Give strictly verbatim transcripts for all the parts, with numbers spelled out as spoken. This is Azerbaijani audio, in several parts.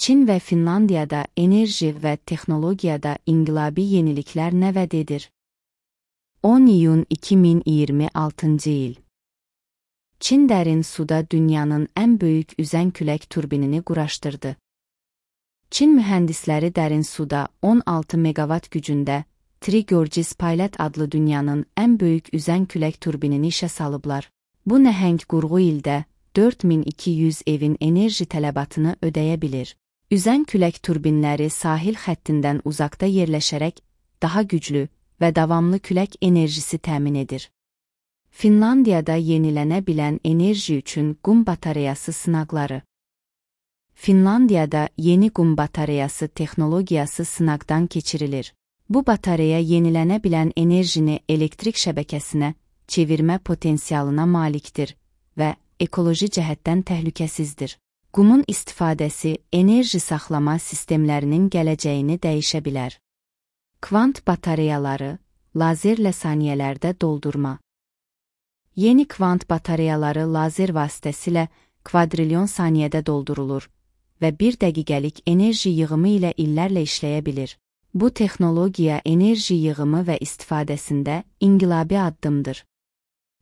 Çin və Finlandiyada enerji və texnologiyada inqilabi yeniliklər nəvəd edir. on iyun iki min iyirmi altıncı il. Çin dərin suda dünyanın ən böyük üzən külək turbinini quraşdırdı. Çin mühəndisləri dərin suda on altı meqavat gücündə Tri-Gorges Pilot adlı dünyanın ən böyük üzən külək turbinini işə salıblar. Bu nəhəng qurğu ildə dörd min iki yüz evin enerji tələbatını ödəyə bilir. Üzən külək turbinləri sahil xəttindən uzaqda yerləşərək daha güclü və davamlı külək enerjisi təmin edir. Finlandiyada yenilənə bilən enerji üçün qum batareyası sınaqları. Finlandiyada yeni qum batareyası texnologiyası sınaqdan keçirilir. Bu batareya yenilənə bilən enerjini elektrik şəbəkəsinə çevirmə potensialına malikdir və ekoloji cəhətdən təhlükəsizdir. Qumun istifadəsi enerji saxlama sistemlərinin gələcəyini dəyişə bilər. Kvant batareyaları, lazerlə saniyələrdə doldurma. Yeni kvant batareyaları lazer vasitəsilə kvadrilyon saniyədə doldurulur və bir dəqiqəlik enerji yığımı ilə illərlə işləyə bilir. Bu texnologiya enerji yığımı və istifadəsində inqilabi addımdır.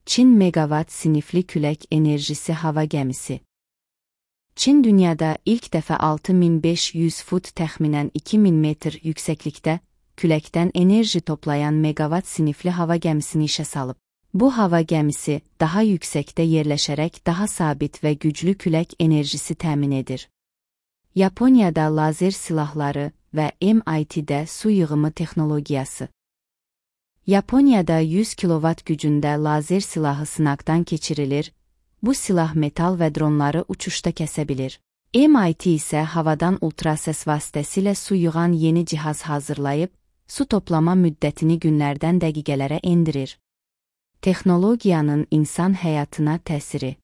Çin meqavat sinifli külək enerjisi hava gəmisi. Çin dünyada ilk dəfə altı min beş yüz fut təxminən iki min metr yüksəklikdə küləkdən enerji toplayan meqavat sinifli hava gəmisini işə salıb. Bu hava gəmisi daha yüksəkdə yerləşərək daha sabit və güclü külək enerjisi təmin edir. Yaponiyada lazer silahları və M I T-də su yığımı texnologiyası. Yaponiyada yüz kilovat gücündə lazer silahı sınaqdan keçirilir. Bu silah metal və dronları uçuşda kəsə bilir. M I T isə havadan ultrasəs vasitəsilə su yığan yeni cihaz hazırlayıb, su toplama müddətini günlərdən dəqiqələrə endirir. Texnologiyanın insan həyatına təsiri.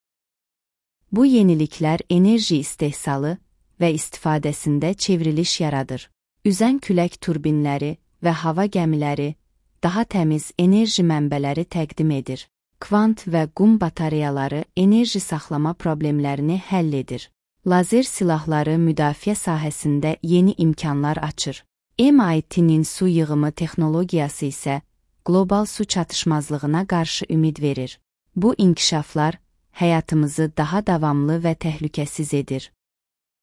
Bu yeniliklər enerji istehsalı və istifadəsində çevriliş yaradır. Üzən külək turbinləri və hava gəmiləri daha təmiz enerji mənbələri təqdim edir. Kvant və qum batareyaları enerji saxlama problemlərini həll edir. Lazer silahları müdafiə sahəsində yeni imkanlar açır. M I T-nin su yığımı texnologiyası isə qlobal su çatışmazlığına qarşı ümid verir. Bu inkişaflar həyatımızı daha davamlı və təhlükəsiz edir.